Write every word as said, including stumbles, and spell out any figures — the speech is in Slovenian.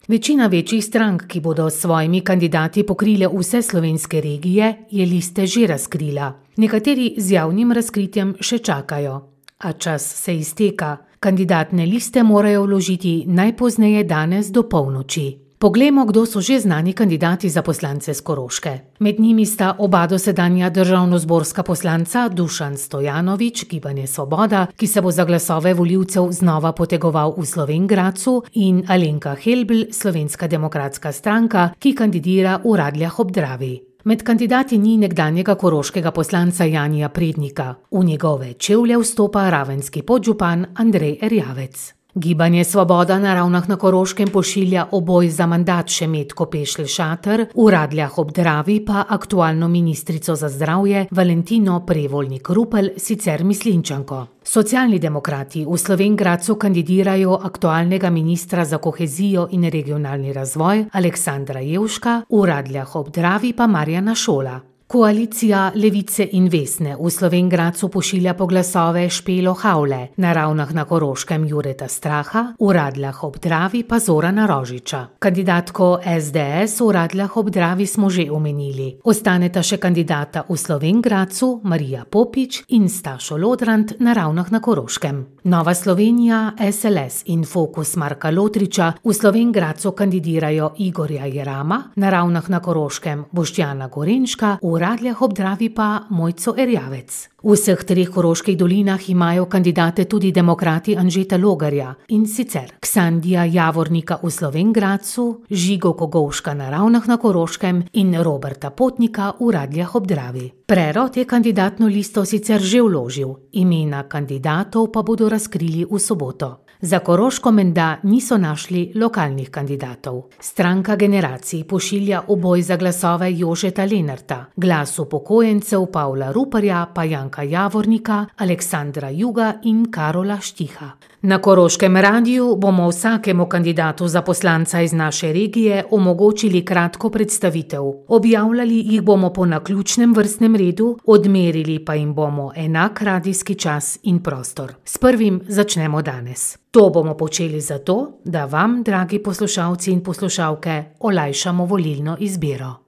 Večina večjih strank, ki bodo s svojimi kandidati pokrile vse slovenske regije, je liste že razkrila. Nekateri z javnim razkritjem še čakajo. A čas se izteka. Kandidatne liste morajo vložiti najpozneje danes do polnoči. Poglejmo, kdo so že znani kandidati za poslance s Koroške. Med njimi sta oba dosedanja državnozborska poslanca Dušan Stojanović, Gibanje Svoboda, ki se bo za glasove volivcev znova potegoval v Slovenj Gradcu, in Alenka Helbl, Slovenska demokratska stranka, ki kandidira v Radljah ob Dravi. Med kandidati ni nekdanjega koroškega poslanca Janija Prednika. V njegove čevlje vstopa ravenski podžupan Andrej Erjavec. Gibanje Svoboda na Ravnah na Koroškem pošilja v boj za mandat Šemetko Pešelj Šater, v Radljah ob Dravi pa aktualno ministrico za zdravje Valentino Prevolnik Rupel, sicer Mislinjčanko. Socialni demokrati v Slovenj Gradcu kandidirajo aktualnega ministra za kohezijo in regionalni razvoj Aleksandra Jevška, v Radljah ob Dravi pa Marjana Šola. Koalicija Levice in Vesne v Slovenj Gradcu pošilja po glasove Špelo Havle, na Ravnah na Koroškem Jureta Straha, v Radljah ob Dravi pa Zorana Rožiča. Kandidatko es de es v Radljah ob Dravi smo že omenili. Ostaneta še kandidata v Slovenj Gradcu Marija Popič in Stašo Lodrand na Ravnah na Koroškem. Nova Slovenija, es el es in Fokus Marka Lotriča v Slovenj Gradcu kandidirajo Igorja Jerama, na Ravnah na Koroškem Boštjana Gorenška, v Radljah ob Dravi pa Mojco Erjavec. V vseh treh koroških dolinah imajo kandidate tudi demokrati Anžeta Logarja, in sicer Ksandija Javornika v Slovenj Gradcu, Žigo Kogovška na Ravnah na Koroškem in Roberta Potnika v Radljah ob Dravi. Prerod je kandidatno listo sicer že vložil, imena kandidatov pa bodo razkrili v soboto. Za Koroško menda niso našli lokalnih kandidatov. Stranka generacij pošilja v boj za glasove Jožeta Lenarta, Glas upokojencev Pavla Ruparja pa Janka Javornika, Aleksandra Juga in Karola Štiha. Na Koroškem radiju bomo vsakemu kandidatu za poslanca iz naše regije omogočili kratko predstavitev. Objavljali jih bomo po naključnem vrstnem redu, odmerili pa jim bomo enak radijski čas in prostor. S prvim začnemo danes. To bomo počeli zato, da vam, dragi poslušalci in poslušalke, olajšamo volilno izbiro.